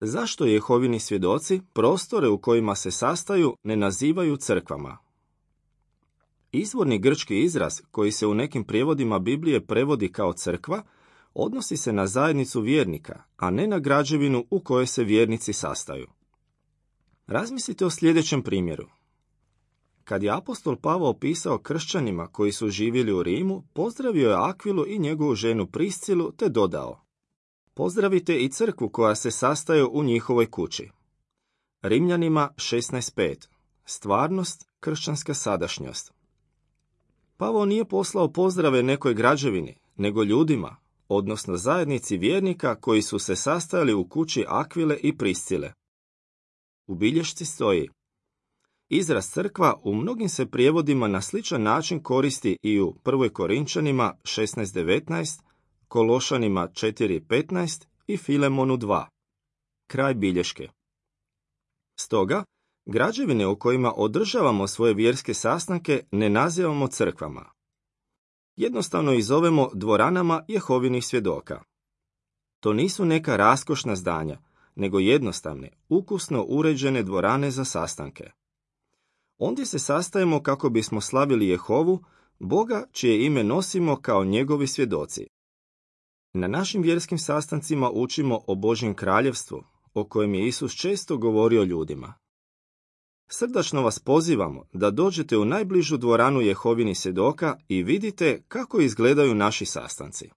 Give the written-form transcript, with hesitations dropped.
Zašto Jehovini svjedoci prostore u kojima se sastaju ne nazivaju crkvama? Izvorni grčki izraz, koji se u nekim prijevodima Biblije prevodi kao crkva, odnosi se na zajednicu vjernika, a ne na građevinu u kojoj se vjernici sastaju. Razmislite o sljedećem primjeru. Kad je apostol Pavao pisao kršćanima koji su živjeli u Rimu, pozdravio je Akvilu i njegovu ženu Priscilu te dodao: pozdravite i crkvu koja se sastaje u njihovoj kući. Rimljanima 16.5. Stvarnost, kršćanska sadašnjost. Pavao nije poslao pozdrave nekoj građevini, nego ljudima, odnosno zajednici vjernika koji su se sastajali u kući Akvile i Priscile. U bilješci stoji: izraz crkva u mnogim se prijevodima na sličan način koristi i u 1. Korinčanima 16.19, Kološanima 4.15 i Filemonu 2. Kraj bilješke. Stoga, građevine u kojima održavamo svoje vjerske sastanke ne nazivamo crkvama. Jednostavno ih zovemo dvoranama Jehovinih svjedoka. To nisu neka raskošna zdanja, nego jednostavne, ukusno uređene dvorane za sastanke. Ondje se sastajemo kako bismo slavili Jehovu, Boga čije ime nosimo kao njegovi svjedoci. Na našim vjerskim sastancima učimo o Božjem kraljevstvu, o kojem je Isus često govorio ljudima. Srdačno vas pozivamo da dođete u najbližu dvoranu Jehovinih svjedoka i vidite kako izgledaju naši sastanci.